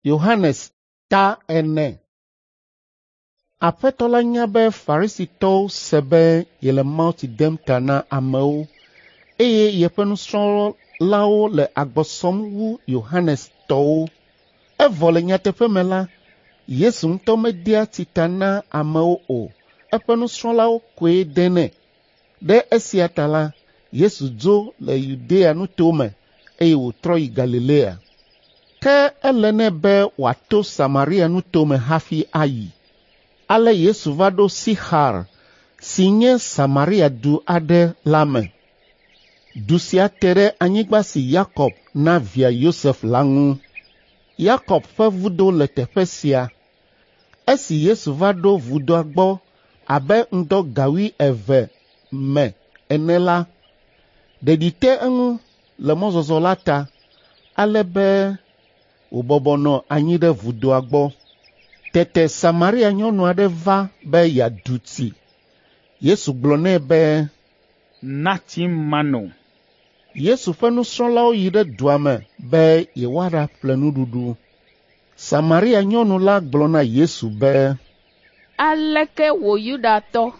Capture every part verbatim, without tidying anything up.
Yohanes ta ene. Aƒetɔ la nya be Farisitɔwo se be yele mawutsi dem ta na amewo eye yeƒe nusrɔ̃lawo le agbɔ sɔm wu Yohanes tɔwo. Evɔ le nyateƒe me la, Yesu ŋutɔ medea tsi ta na amewo o, eƒe nusrɔ̃lawo koe denɛ. Ɖe esia ta la, Yesu dzo le Yudea nutome eye wòtrɔ yi Galilea. Ke ele nɛ be wòato Samaria nutome hafi ayi. Ale Yesu va ɖo Sixar si nye Samaria du aɖe la me. Du sia te ɖe anyigba si Yakob na via Yosef la ŋu. Yakob ƒe vudo le teƒe sia. Esi Yesu va ɖo vudoa gbɔ abe ŋdɔ ga wuieve me ene la, ɖeɖi te eŋu le mɔzɔzɔ la ta, ale be wòbɔbɔ nɔ anyi ɖe vudoa gbɔ. Tete Samaria nyɔnu aɖe va be yeadu tsi. Yesu gblɔ nɛ be, “Na tsim mano.” Yesu ƒe nusrɔ̃lawo yi ɖe dua me be yewoaɖaƒle nuɖuɖu. Samaria nyɔnu la gblɔ na Yesu be, “Aleke wò Yudatɔ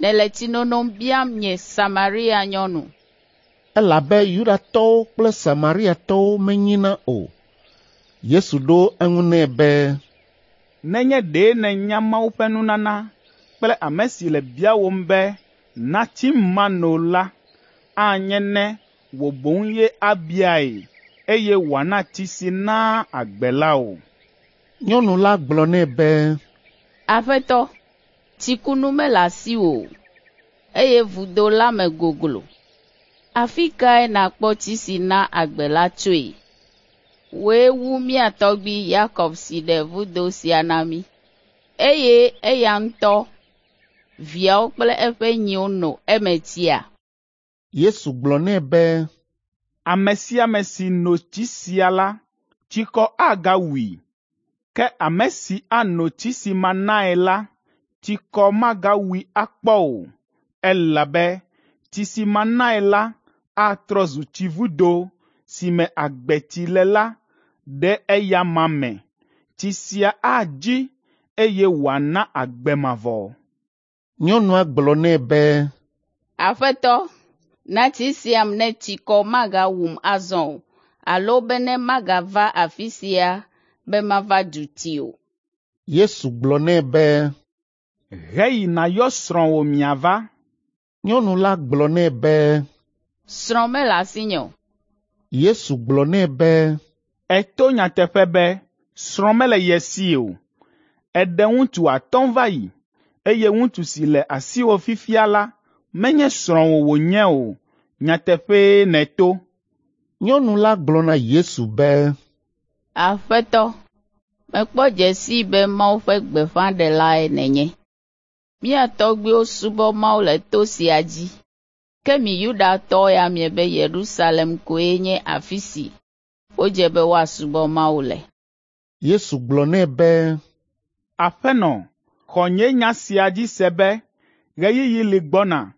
nèle tsinono biam nye Samaria nyɔnu?” Elabe Yudatɔwo kple Samariatɔwo menyina o. Yesu ɖo eŋu nɛ be, “Nenye ɖe nènya Mawu ƒe nunana kple ame si le biawòm be, ‘Na tsim mano’ la, anye ne wò boŋ ye abiae, eye wòana tsi si naa agbe la wò.” Nyɔnu la gblɔ nɛ be, “Aƒetɔ, tsikunu mele asiwò o, eye vudo la me goglo. Afi kae nàkpɔ tsi si naa agbe la tsoe? Wòe wu mía tɔgbui Yakob si ɖe vudo sia na mí, eye eya ŋutɔ, viawo kple eƒe nyiwo no eme tsia?” Yesu gblɔ nɛ be, “Ame sia ame si no tsi sia la, tsikɔ agawui. Ke ame si ano tsi si manae la, tsikɔ magawui akpɔ o, elabe tsi si manae la atrɔ zu tsivudo si me agbetsi le la ɖe eya amea me. Tsi sia adzi, eye wòana agbe mavɔ.” Nyɔnua gblɔ nɛ be, “Aƒetɔ, na tsi siam ne tsikɔ magawum azɔ o, alo bene magava afi sia be mava du tsi o.” Yesu gblɔ nɛ be, “Heyi nàyɔ srɔ̃wò miava.” Nyɔnu la gblɔ nɛ be, “Srɔ̃ mele asinye o.” Yesu gblɔ nɛ be, “Èto nyateƒe be srɔ̃ mele ye si o. Èɖe ŋutsu atɔ̃ va yi, eye ŋutsu si le asiwò fifia la menye srɔ̃wò wònye o. Nyateƒee nèto.” Nyɔnu la gblɔ na Yesu be, “Aƒetɔ, mekpɔ dze sii be Mawu ƒe gbeƒãɖelae nènye. Mía tɔgbuiwo subɔ Mawu le to sia dzi, ke mi Yudatɔwo ya miebe Yerusalem koe nye afi si wodze be woasubɔ Mawu le.” Yesu gblɔ nɛ be, “Aƒenɔ, xɔ nye nya sia dzi se be ɣeyiɣi li gbɔna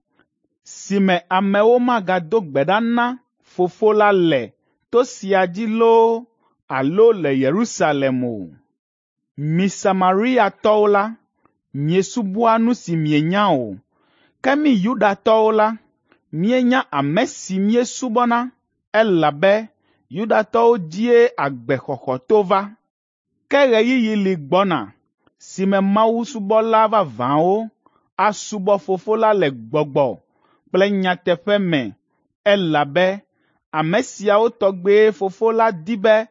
si me amewo magado gbe ɖa na Fofo la le to sia dzi loo alo le Yerusalem o. Mi Samariatɔwo la, miesubɔa nu si mienya o, ke mí Yudatɔwo la, míenya ame si míesubɔna, elabe Yudatɔwo dzie agbexɔxɔ to va. Ke ɣeyiɣi li gbɔna si me mawusubɔla vavãwo asubɔ Fofo la le gbɔgbɔ kple nyateƒe me elabe ame siawo tɔgbee Fofo la di be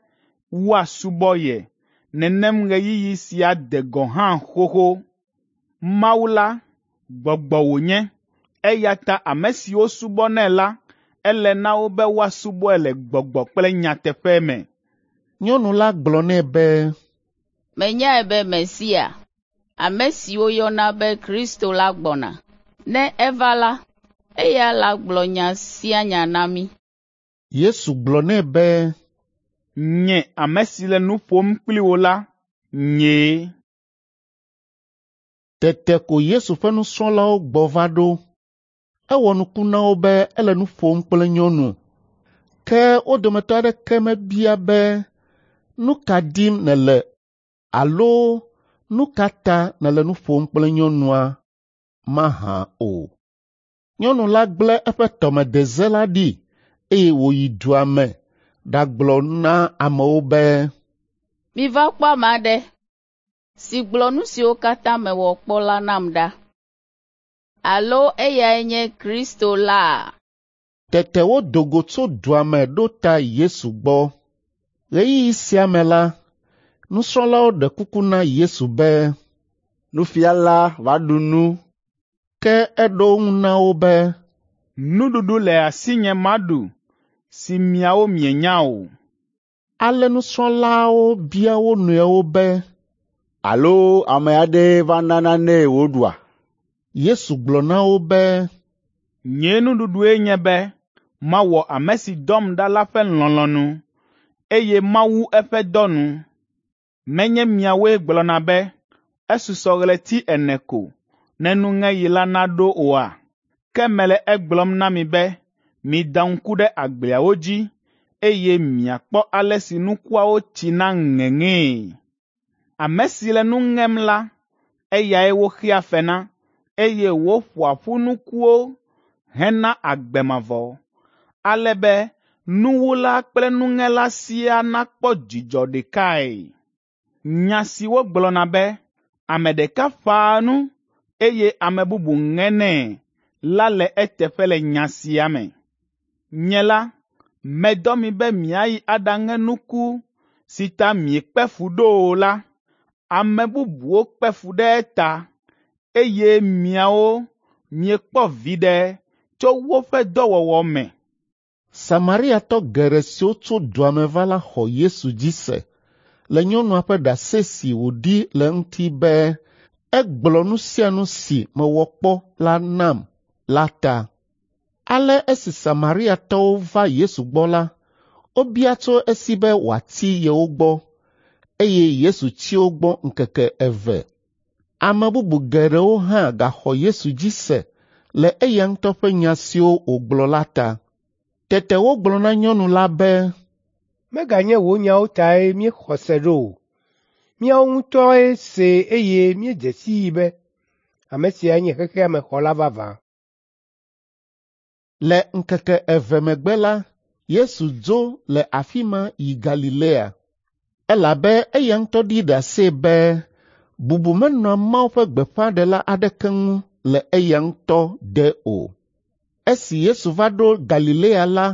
woasubɔ ye. Nenem ɣeyiɣi sia de gɔ̃ hã xoxo. Mawu la, gbɔgbɔ wònye, eya ta ame siwo subɔnɛ la, ele na wo be woasubɔe le gbɔgbɔ kple nyateƒe me.” Nyɔnu la gblɔ nɛ be, “Menyae be Mesia, ame si woyɔna be Kristo la gbɔna. Ne eva la, eya lagblɔ nya sia nya na mí.” Yesu gblɔ nɛ be, “Nye ame si le nu ƒom kpli wò la, nyee.” Tete ko Yesu ƒe nusrɔ̃lawo gbɔ va ɖo. Ewɔ nuku na wo be ele nu ƒom kple nyɔnu. Ke wo dometɔ aɖeke mebia be, “Nu ka dim nèle alo nu ka ta nèle nu ƒom kple nyɔnua mahã o?” Nyɔnu la gblẽ eƒe tɔmedeze la ɖi eye wòyi dua me ɖagblɔ na amewo be, “Miva kpɔ ame aɖe si gblɔ nu siwo katã mewɔ kpɔ la nam ɖa. Alo eyae nye Kristo la?” Tete wodo go tso dua me ɖo ta Yesu gbɔ. Ɣeyiɣi sia me la, nusrɔ̃lawo ɖe kuku na Yesu be, “Nufiala va ɖu nu.” Ke eɖo eŋu na wo be, “Nuɖuɖu le asinye maɖu si miawo mienya o.” Ale nusrɔ̃lawo bia wo nɔewo be, “Alo ame aɖee va na nanee wòɖua?” Yesu gblɔ na wo be, “Nye nuɖuɖue nye be mawɔ ame si dɔm ɖa la ƒe lɔlɔ̃nu, eye mawu eƒe dɔ nu. Menye miawoe gblɔna be, ‘Esusɔ ɣleti ene ko ne nuŋeɣi la naɖo oa?’ Ke mele egblɔm na mi be mida ŋku ɖe agbleawo dzi, eye miakpɔ ale si nukuawo tsi na ŋeŋee. Ame si le nu ŋem la, eyae woxea fe na, eye wòƒoa ƒu nukuwo hena agbe mavɔ, ale be nuwula kple nuŋela siaa nakpɔ dzidzɔ ɖekae. Nya si wogblɔna be, ‘Ame ɖeka ƒãa nu, eye ame bubu ŋenɛ’ la le eteƒe le nya sia me. Nye la, medɔ mi be miayi aɖaŋe nuku si ta miekpe fu ɖo o la. Ame bubuwo kpe fu ɖe eta, eye miawo miekpɔ viɖe tso woƒe dɔwɔwɔ me.” Samariatɔ geɖe siwo tso dua me va la xɔ Yesu dzi se le nyɔnua ƒe ɖase si wòɖi le eŋuti be egblɔ nu sia nu si mewɔ kpɔ la nam la ta. Ale esi Samariatɔwo va Yesu gbɔ la, wobia tso esi be wòatsi yewo gbɔ, eye Yesu tsi wo gbɔ ŋkeke eve. Ame bubu geɖewo hã gaxɔ Yesu dzi se le eya ŋutɔ ƒe nya siwo wògblɔ la ta. Tete wogblɔ na nyɔnu la be, “Meganye wò nyawo tae míexɔ se ɖo o. Míawo ŋutɔe see eye míedze sii be ame siae nye xexea me xɔla vavã.” Le ŋkeke eve megbe la, Yesu dzo le afi ma yi Galilea, elabe eya ŋutɔ ɖi ɖase be bubu menɔa Mawu ƒe gbeƒãɖela aɖeke ŋu le eya ŋutɔ de o. Esi Yesu va ɖo Galilea la,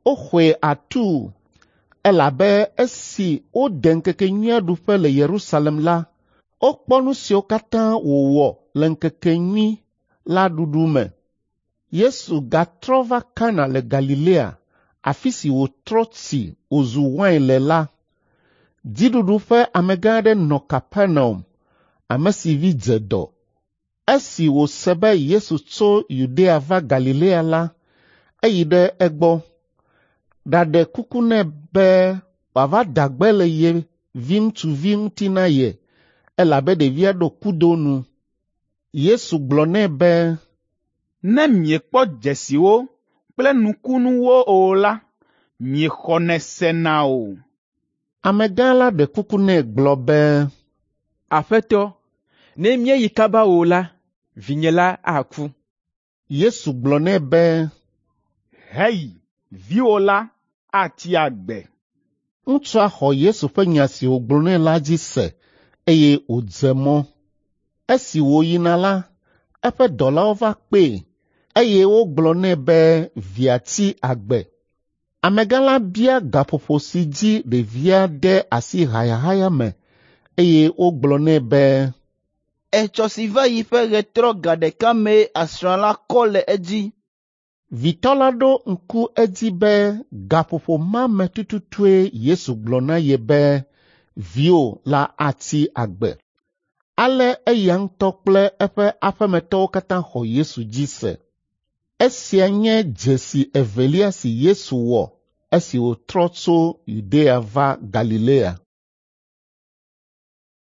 woxɔe atuu, elabe esi wode ŋkekenyuia ɖuƒe le Yerusalem la, wokpɔ nu siwo katã wòwɔ le ŋkekenyui la ɖuɖu me. Yesu gatrɔ va Kana le Galilea, afi si wòtrɔ tsi wòzu wain le la. Dziɖuɖu ƒe amegã aɖe nɔ Kapernaum, ame si vi dze dɔ. Esi wòse be Yesu tso Yudea va Galilea la, eyi ɖe egbɔ, ɖaɖe kuku nɛ be wòava da gbe le ye viŋutsuvi ŋuti na ye, elabe ɖevia ɖo kudo nu. Yesu gblɔ nɛ be, “Ne miekpɔ dzesiwo kple nukunuwo o la, miexɔnɛ sena o.” Amegã la ɖe kuku nɛ gblɔ be, “Aƒetɔ, ne míeyi kaba o la, vinye la aku.” Yesu gblɔ nɛ be, “Heyi, viwò la atsi agbe.” Ŋutsua xɔ Yesu ƒe nya si wògblɔ nɛ la dzi se eye wòdze mɔ. Esi wòyina la, eƒe dɔlawo va kpee eye wogblɔ nɛ be via tsi agbe. Amegã la bia gaƒoƒo si dzi ɖevia de asi hayahaya me eye wogblɔ nɛ be, “Etsɔ si va yi ƒe ɣetrɔ ga ɖeka mee asrã la kɔ le edzi.” Vitɔ la ɖo ŋku edzi be gaƒoƒo ma me tututue Yesu gblɔ na ye be viwò la atsi agbe. Ale eya ŋutɔ kple eƒe aƒemetɔwo katã xɔ Yesu dzi se. Esia nye dzesi evelia si Yesu wɔ esi wòtrɔ tso Yudea va Galilea.